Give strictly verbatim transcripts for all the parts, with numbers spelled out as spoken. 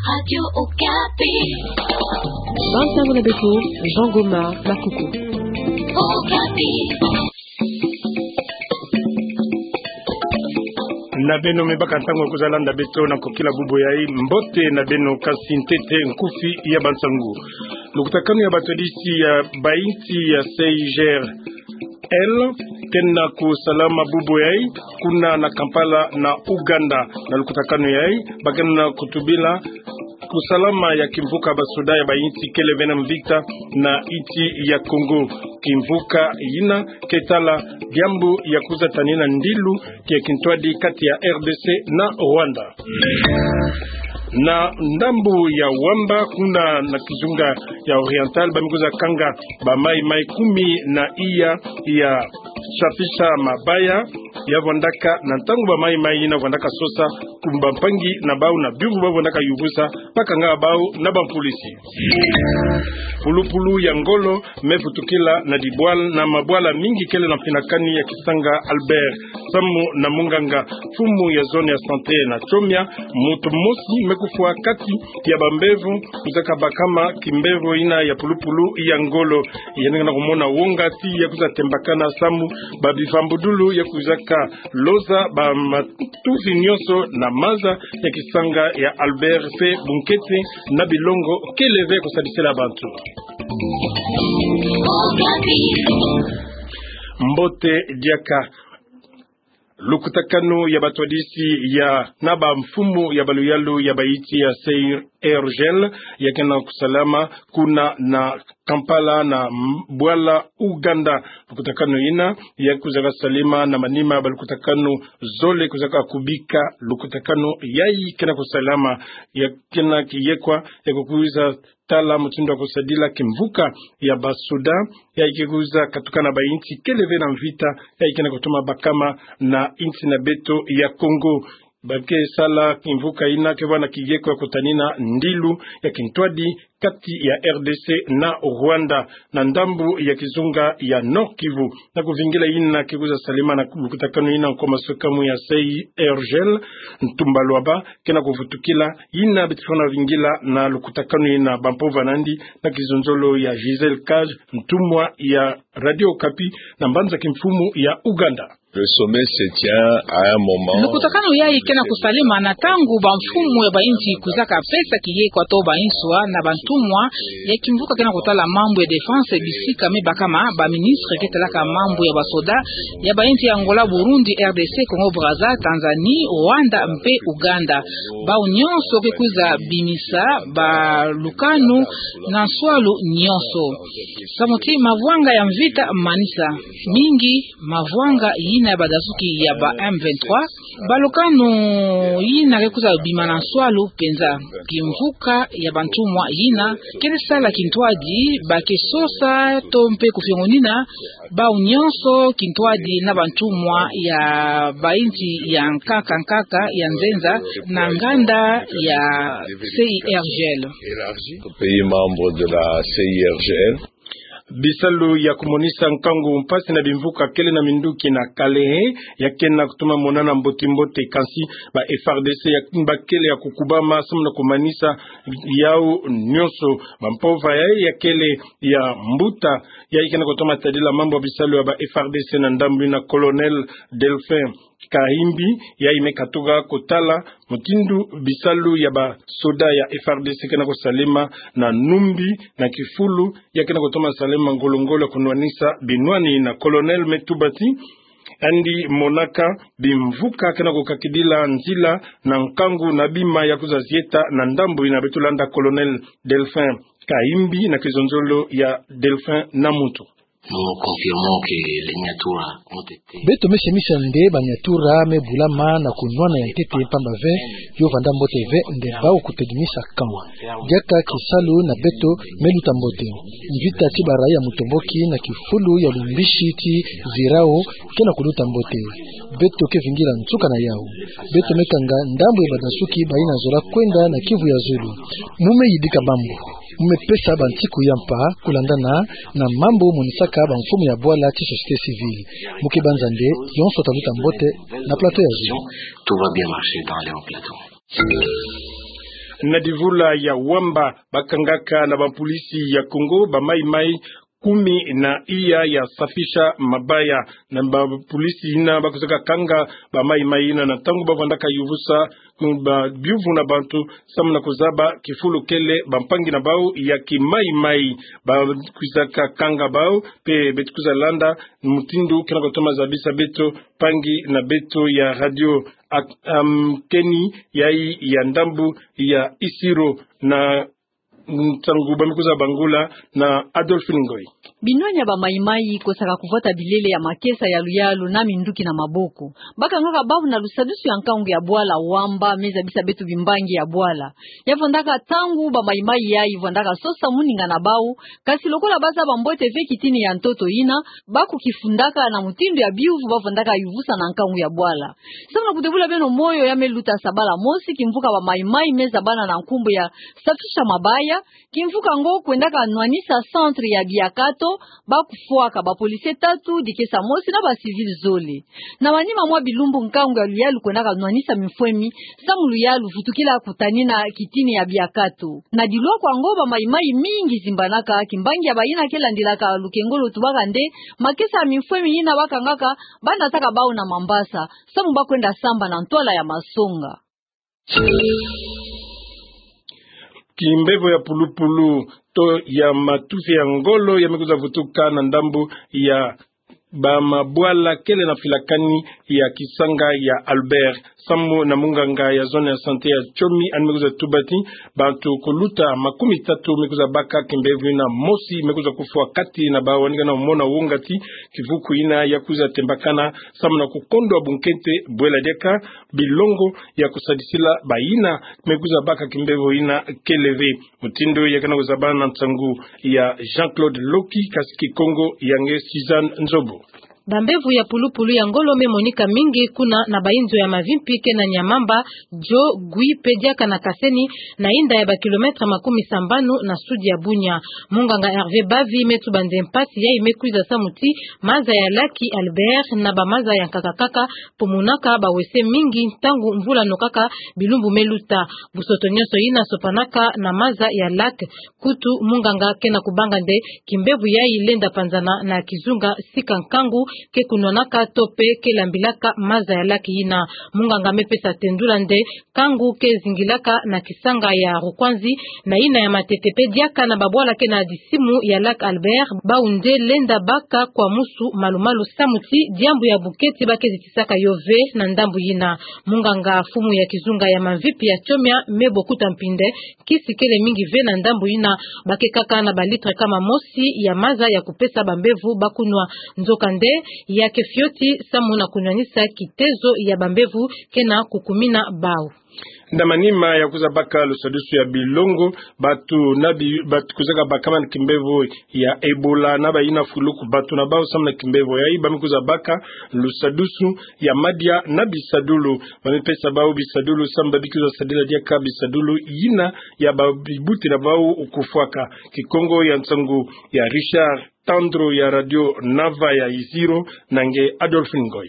Radio Okapi. Bansango na beto, Jean Goma Makuku. Okapi. Na beno me baka ntangu ya kuza landa beto na kokila bubu yayi, mbote na beno, kasi ntete nkufi ya bansangu. Lukutakanu ya batwadisi ya bainsi ya C I G R L ke na kusalama bubu yayi kuna na Kampala na Ouganda. Na lukutakanu yayi, ba ke na kutubila kusalama ya kimvuka basoda ya bainsi kele ve na mvita na insi ya Congo. Kimvuka yina ke tala diambu ya kuza tanina ndilu ya kintwadi kati ya R D C na Rwanda. Na ndambu ya Wamba, kuna na kizunga ya Oriental, ba me kuza kanga bamayi-mayi kumi na iya ya safisha mabaya ya vwandaka na ntangu bamayi-mayi yina vwandaka sosa ku bampangi na bau na biuvu ba vwandaka yuvusa, ba kanga bau na bampolisi. Pulupulu ya ngolo me vutukila na dibwal-, na mabwala mingi kele na mfinakani ya kisanga Albert, samu na munganga, mfumu ya zone ya santé na Tchomia, muntu mosi me kufwa kati ya bambevo kuzaka bakama kimbevo yina ya pulupulu ya ngolo. Yandi ke na kumona wonga ti ya kuza tembakana samu ba bivambudulu ya kuzaka loza ba matufi nyonso na maza ya kisanga ya Albert mpe bunkete na bilongo kele ve kusadisela bantu. Mbote diaka. Lukutakanu ya batwadisi ya na bamfumu ya baluyalu ya bainsi ya C I G R L ya ke na kusalama kuna na Kampala na m-, bwala Ouganda. Lukutakanu yina ya kuzaka salama na manima ba lukutakanu zole kuzaka kubika. Lukutakanu yayi ke na kusalama, ya ke na kiyekwa ya kukuiza tala mutindu ya kusadila kimvuka ya basoda yayi ke kuza katuka na bainsi kele ve na mvita yayi ke na kutuma bakama na insi na beto ya Congo. Ba ke sala kimvuka yina ke vwa na kiyekwa ya kutanina ndilu ya kintwadi kati ya R D C na Rwanda na ndambu ya kizunga ya Nord-Kivu. Na kuvingila yina ke kuza salama na lukutakanu yina, nkoma sokamu ya C I G R L, Ntumba Lwaba, ke na kuvutukila yina beto fwana vingila na lukutakanu yina, bampova nandi na kizonzolo ya Gisèle Cage, ntumwa ya Radio Okapi na mbanza kimfumu ya Ouganda. Le sommet se tient à un moment. Lukutakanu yayi ke na kusalama na ntangu bamfumu ya bainsi kuzaka pesa kiyekwa to bainswa na bantumwa ya kimvuka ke na kutala mambu ya défense bisika me bakama baministre ke talaka mambu ya basoda ya bainsi ya Angola, Burundi, R D C, Congo Brazza, Tanzanie, Rwanda mpe Ouganda. Bau nyonso ke kuza bimisa balukanu na nswalu nyonso. Samu ti mavwanga ya mvita manisa mingi, mavwanga yina ya badasuki ya ba M vingt-trois, balukanu yina ke kuza bima na nswalu mpenza. Kimvuka ya bantumwa yina kele sala kintwadi ba ke sosa to mpe kufiongonina bau nyonso kintwadi na bantumwa ya bainsi ya nkaka nkaka ya nzenza na nganda ya C I G R L. Pays membre de la C I G R L. Bisalu ya kumonisa nkangu, mpasi na bimvuka kele na minduki na Kalehe ya ke na kutuma monana mbote-mbote, kasi ba F A R D C ya ba kele ya kukubama samu na kumanisa yau nyonso. Bampova yayi ya kele ya mbuta yayi ke na kutuma tadila mambu ya bisalu ya ba F A R D C na ndambu yina, Colonel Delphin Kahimbi, yayi me katuka kutala mutindu bisalu ya basoda ya F A R D C ke na kusalama na numbi na kifulu ya ke na kutuma salama ngolo-ngolo ya kunwanisa binwani. Na Colonel me tuba ti yandi monaka bimvuka ke na kukakidila nzila na nkangu na bima ya kuza zieta na ndambu yina. Beto landa Colonel Delphin Kahimbi na kizonzolo ya Delphin Namuntu. Nous confirmons que les Nyatura ont été... Beto me semisa nde ba Nyatura me bulama na kunwana ya ntete, mpamba ve yo vanda mbote ve nde bau kutedimisa camp. Diaka kisalu na beto me luta mbote. Mvita ti ba raia mutomboki na kifulu ya lumbisi ti Zirao ke na kuluta mbote. Beto ke vingila nsuka na yau. Beto me kanga ndambu ya badasuki bayina zola kwenda na Kivu ya zulu. Mu me yidika mambu. Mu me pesa bantiku ya mpa kulandana na mambu monisaka bamfumu ya bwala ti société civile. Mu ke banza nde yonso ta luta mbote na plateau ya zulu. Tout va bien marcher dans les hauts plateaux. Na divula ya Wamba, bakangaka na bapolisi ya Kongo bamaimai kumi na iya ya safisha mabaya. Na bapolisi yina bakwizaka kanga bamaimai yina na ntangu bavwandaka yuvusa ba biuvu na bantu, samu na kuzaba kifulu kele bampangi na bau ya kimaimai. Bakwizaka kanga bau, mpe beto kwiza landa mutindu kena kutoma zabisa beto, mpangi na beto ya radio. Ak-, am, keni yai ya ndambu ya Isiro na ntangu bamekwiza bangula na Adolphine Ngoy. Binwani ya bamaimai kosaka kuvwata bilele ya makesa ya luyalu na minduki na maboko. Bakangaka bau na lusadusu ya nkangu ya bwala Wamba, me zabisa beto bimbangi ya bwala. Ya vwandaka ntangu bamaimai yai vwandaka sosa moninga na bau, kasi lokola bazaba mbote ve kitini ya ntoto yina, bakukifundaka na mutindu ya biuvu bavwandaka yuvusa na nkangu ya bwala. Samu na kudebula beno moyo, ya me luta sabala mosi, kimvuka bamaimai me zabana na nkumbu ya safisha mabaya. Kimvuka ngo kwendaka nwanisa centre ya biakato, bakufwaka bapolisie tatu, dikesa mosi na bacivil zole. Na manima mwa bilumbu nkangu ya luyalu kwendaka nwanisa mifwemi, samu luyalu vutukila kutanina kitini ya biakato. Na dilwa kwa ngo bamaimai mingi zimbanaka, kimbangi ya bayina ke landilaka lukengolo tubaka nde, makesa ya mifwemi yina bakangaka, banataka bau na mambasa, samu bakwenda samba na ntwala ya masonga. Kimbevo ya pulupulu to ya matufi ya ngolo ya mekwiza vutuka na ndambu ya bamabwala kele na filakani ya kisanga ya Albert. Samu na munganga ya zone ya santé ya Tchomi, yandi mekwiza tuba ti bantu kuluta makumi tatu mekwiza baka kimbevo yina, mosi mekwiza kufwa kati na bau. Yandi kana mona wonga ti kivuku yina ya kwiza tembakana samu na kukondwa bunkete bwela diaka bilongo ya kusadisila bayina mekwiza baka kimbevo yina kele ve. Mutindu ya kana kuzabana na nsangu ya Jean-Claude Loki, kasi Kikongo ya nge Suzanne Nzobo. Bambevo ya pulupulu ya ngolo me monika mingi kuna na bayinzo ya mavimpi kena Nyamamba, Djo, Gwi mpe diaka na Kaseni, na inda ya ba kilomètre makumi sambanu na sud ya Bunia. Munganga Hervé Bavi me tuba nde mpasi yai mekwiza samu ti maza ya laki Albert na bamaza ya nkaka kaka pomunaka bawese mingi ntangu mvula nokaka bilumbu meluta. Busoto nyonso yina sopanaka na maza ya laki. Kutu munganga kena kubanga nde kimbevo yai lenda panzana na kizunga sika nkangu ke kunwanaka to mpe ke lambilaka maza ya laki yina. Munganga mepesa tendula nde nkangu ke zingilaka na kisanga ya Rukwanzi, na yina ya Matete mpe diaka na babwala kena disimu ya laki Albert, bau nde lenda baka kwa musu malumalu samu ti diambu ya bunketi ba ke zitisaka yo ve na ndambu yina. Munganga mfumu ya kizunga ya mavimpi ya Tchomia, Me Bokuta Mpinde, kisi kele mingi ve na ndambu yina, ba ke kaka na ba litre kama mosi ya maza ya kupesa bambevo ba kunwa. Nzokande, ya ke fioti samu na kunwanisa kitezo ya bambevo kena kukumina bau. Na manima ya kwiza baka lusadusu ya bilongo, bantu na bi-, bantu kwizaka bakama na kimbevo ya Ebola na bayina fuluku bantu na bau samu na kimbevo yai, ba mekwiza baka lusadusu ya madia na bisadulu. Ba mepesa bau bisadulu samu ba bikwiza sadila diaka bisadulu yina ya ba bibuti na bau kufwaka. Kikongo ya nsangu ya Richard Tandro ya Radio Nava ya Isiro, na nge Adolphine Ngoy.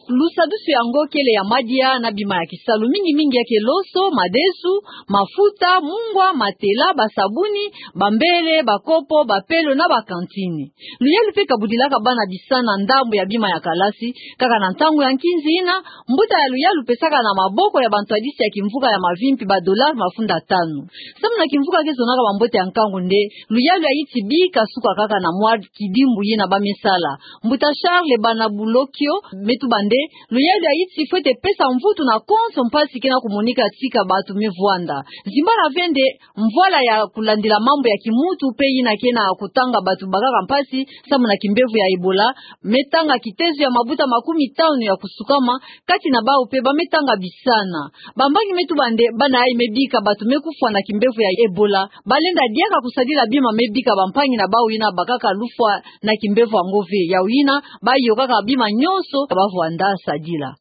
Lusadusu yango kele ya madia na bima ya kisalu mingi mingi ya ke loso, madesu, mafuta, mungwa, matela, basabuni, bambele, bakopo, bapelo na bakantini. Luyalu mpe ka budilaka bana bisana ndambu ya bima ya kalasi, kaka na ntangu ya nkinzi yina, mbuta ya luyalu pesaka na maboko ya bantwadisi ya kimvuka ya mavimpi ba dollar mafunda tanu. Samu na kimvuka ke zonaka bambote ya nkangu nde, luyalu ya yiti bika suka kaka na mwa kidimbu yina ba mesala. Mbuta Charles Banabulokio me tuba nde, luyalu ya yiti fwete pesa mvutu na konso mpasi kena kumonika tika bantu me vwanda. Zimbana ve nde, mvwala ya kulandila mambu ya kimuntu mpe yina kena kutanga bantu bakaka mpasi samu na kimbevo ya Ebola, me tanga kitezo ya mabuta makumi tanu ya kusukama, kati na bau mpe ba me tanga bisana. Bambangi me tuba nde bana yai me bika bantu me kufwa na kimbevo ya Ebola, ba lenda diaka kusadila bima me bika bampangi na bau yina bakaka lufwa na kimbevo yango ve. Yau yina, ba yokaka bima nyonso ba vwanda sadila.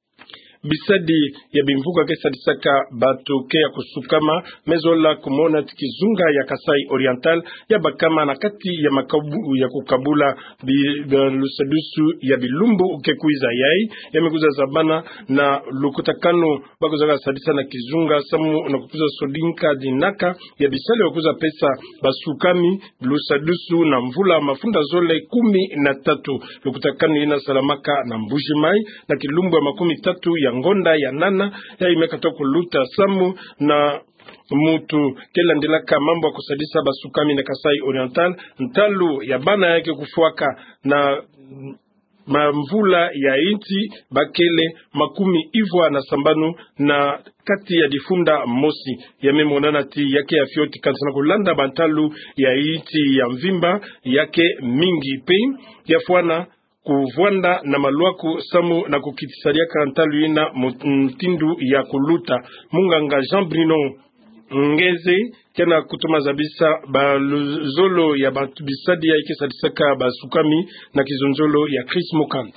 Bisadi ya bimvuka ke sadisaka bato ke ya kusukama, me zola kumona ti kizunga ya Kasaï Oriental ya bakama na kati ya makabu ya kukabula bi-, bi-, lusadusu ya bilumbu ke kwiza yai, ya me kwiza zabana na lukutakanu ba kwizaka sadisa na kizunga samu na kukwiza sodinka dinaka ya bisalu ya kwiza pesa basukami lusadusu na mvula mafunda zole kumi na tatu. Lukutakanu ina salamaka na Mbuji-Mayi na kilumbu ya makumi tatu ya ngonda ya nana, ya ime kata kuluta samu na mutu ke landilaka mambu ya kusadisa basukami na Kasaï Oriental, ntalu ya bana ya ke kufwaka na mamvula ya inti bakele makumi ivwa na sambanu na kati ya difunda mosi. Ya me monana ti ya ke ya fioti kanisa na kulanda bantalu ya inti ya mvimba ya ke mingi pe ya fwana kuvwanda na malwaku samu na kukitisadiaka ntalu ina mu-, mutindu ya kuluta. Munganga Jean Bruno Ngeze ke na kutoma zabisa baluzolo ya bantu bisadi ya ke sadisaka basukami na kizonzolo ya Chris Mukand.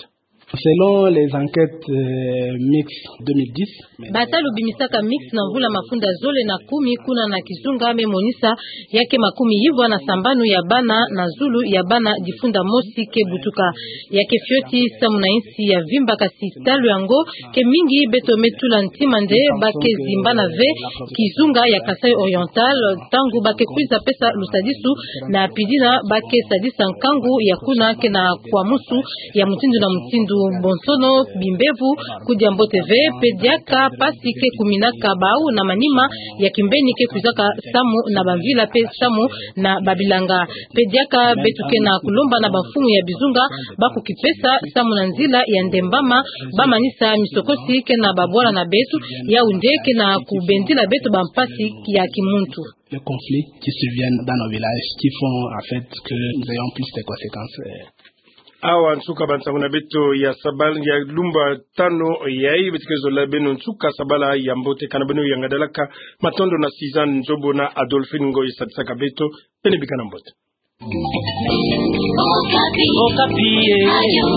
Selon les enquêtes, euh, MICS deux mille dix, batalu bimisaka MICS na mvula mafunda zole na kumi kuna na kizunga me monisa ya ke makumi ivwa na sambanu ya bana na zulu ya bana difunda mosi ke butuka. Ya ke fioti samu na insi ya mvimba, kasi talu yango ke mingi beto me tula ntima nde ba ke zimbana ve kizunga ya Kasaï Oriental, ntangu ba ke kwiza pesa lusadisu na pidina ba ke sadisa nkangu ya kuna ke na kwamusu ya mutindu na mutindu. Bonsono bimbevo kudia mbote ve, pe diaka mpasi ke kuminaka bau na manima ya kimbeni ke kwizaka samu na bamvila pe samu na babilanga. Pe diaka beto ke na kulomba na bamfumu ya bizunga ba kukipesa samu na nzila ya ndembama ba manisa misokosi ke na babwala na beto, yau nde ke na kubendila beto bampasi ya kimuntu. Les conflits qui surviennent dans nos villages qui font en fait que nous ayons plus de conséquences, euh. Awa nsuka bansango na beto ya sabal-, ya lumbu tanu yai. Beto ke zola beno nsuka sabala ya mbote, kana beno yangadalaka. Matondo na Suzanne Nzobo na Adolphine Ngoyi sadisaka beto. Beno bikana mbote. Okapi. Okapi, eh. Radio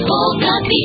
Okapi.